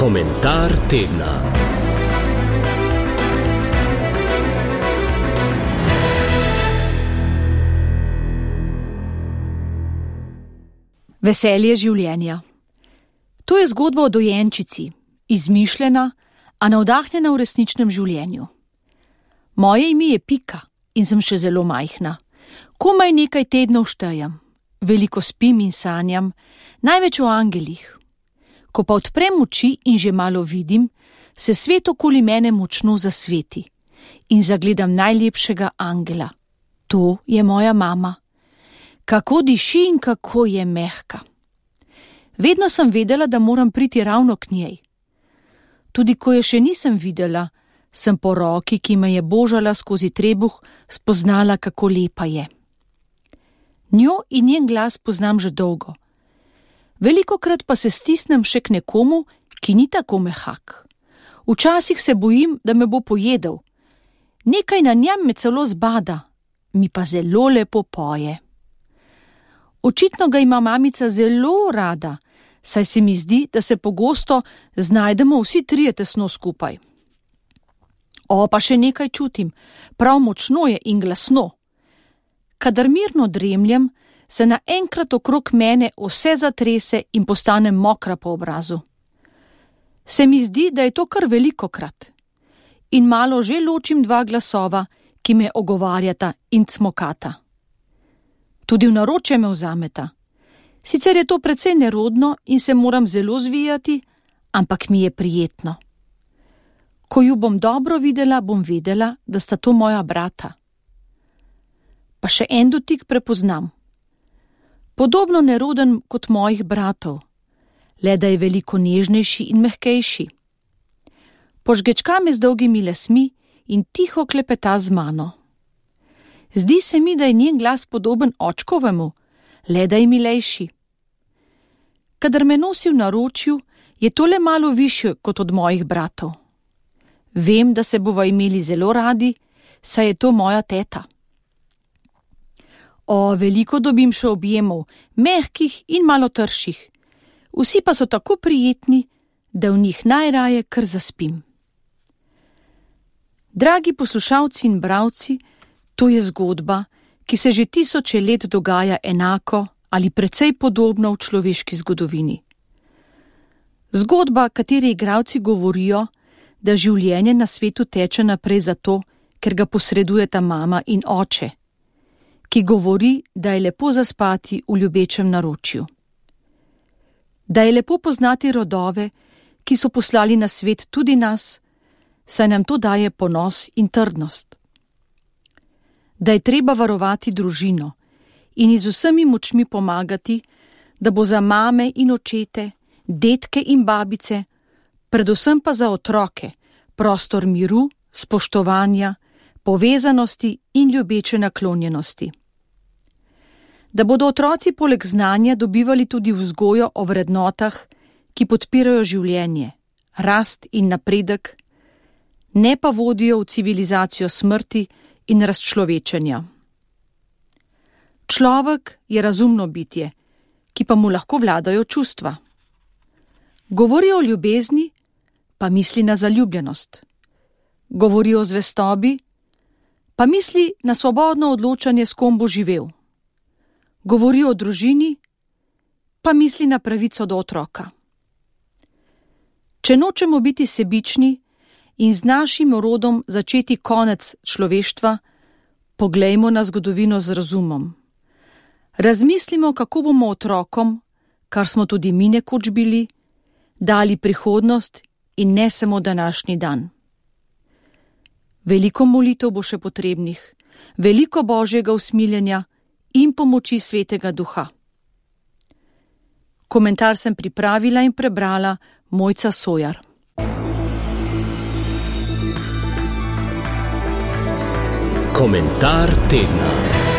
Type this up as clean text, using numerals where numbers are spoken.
Komentar tedna. Veselje življenja. To je zgodba o dojenčici, izmišljena, a navdahnjena v resničnem življenju. Moje ime je Pika in sem še zelo majhna. Komaj nekaj tednov štejem, veliko spim in sanjam, največ o angelih. Ko pa odprem oči in že malo vidim, se svet okoli mene močno zasveti in zagledam najlepšega angela. To je moja mama. Kako diši in kako je mehka. Vedno sem vedela, da moram priti ravno k njej. Tudi ko je še nisem videla, sem po roki, ki me je božala skozi trebuh, spoznala, kako lepa je. Njo in njen glas poznam že dolgo. Velikokrat pa se stisnem še k nekomu, ki ni tako mehak. Včasih se bojim, da me bo pojedel. Nekaj na njem me celo zbada, mi pa zelo lepo poje. Očitno ga ima mamica zelo rada, saj se mi zdi, da se pogosto znajdemo vsi trije tesno skupaj. O, pa še nekaj čutim, prav močno je in glasno. Kadar mirno dremljem, se naenkrat okrog mene vse zatrese in postanem mokra po obrazu. Se mi zdi, da je to kar velikokrat. In malo že ločim dva glasova, ki me ogovarjata in cmokata. Tudi v naročje me vzameta. Sicer je to precej nerodno in se moram zelo zvijati, ampak mi je prijetno. Ko ju bom dobro videla, bom vedela, da sta to moja brata. Pa še en dotik prepoznam. Podobno neroden kot mojih bratov, le da je veliko nežnejši in mehkejši. Požgečka me z dolgimi lasmi in tiho klepeta z mano. Zdi se mi, da je njen glas podoben očkovemu, le da je milejši. Kadar me nosi v naročju, je to le malo višje kot od mojih bratov. Vem, da se bova imeli zelo radi, saj je to moja teta. O, veliko dobim še objemov, mehkih in malo trših. Vsi pa so tako prijetni, da v njih najraje kar zaspim. Dragi poslušalci in bralci, to je zgodba, ki se že tisoče let dogaja enako ali precej podobno v človeški zgodovini. Zgodba, kateri igralci govorijo, da življenje na svetu teče naprej zato, ker ga posredujeta mama in oče, ki govori, da je lepo zaspati v ljubečem naročju. Da je lepo poznati rodove, ki so poslali na svet tudi nas, saj nam to daje ponos in trdnost. Da je treba varovati družino in z vsemi močmi pomagati, da bo za mame in očete, detke in babice, predvsem pa za otroke, prostor miru, spoštovanja, povezanosti in ljubeče naklonjenosti. Da bodo otroci poleg znanja dobivali tudi vzgojo o vrednotah, ki podpirajo življenje, rast in napredek, ne pa vodijo v civilizacijo smrti in razčlovečenja. Človek je razumno bitje, ki pa mu lahko vladajo čustva. Govori o ljubezni, pa misli na zaljubljenost. Govori o zvestobi, pa misli na svobodno odločanje, s kom bo živel. Govori o družini, pa misli na pravico do otroka. Če nočemo biti sebični in z našim rodom začeti konec človeštva, poglejmo na zgodovino z razumom. Razmislimo, kako bomo otrokom, kar smo tudi mi nekoč bili, dali prihodnost in ne samo današnji dan. Veliko molitev bo še potrebnih, veliko božjega usmiljenja in pomoči Svetega Duha. Komentar sem pripravila in prebrala Mojca Sojar. Komentar tedna.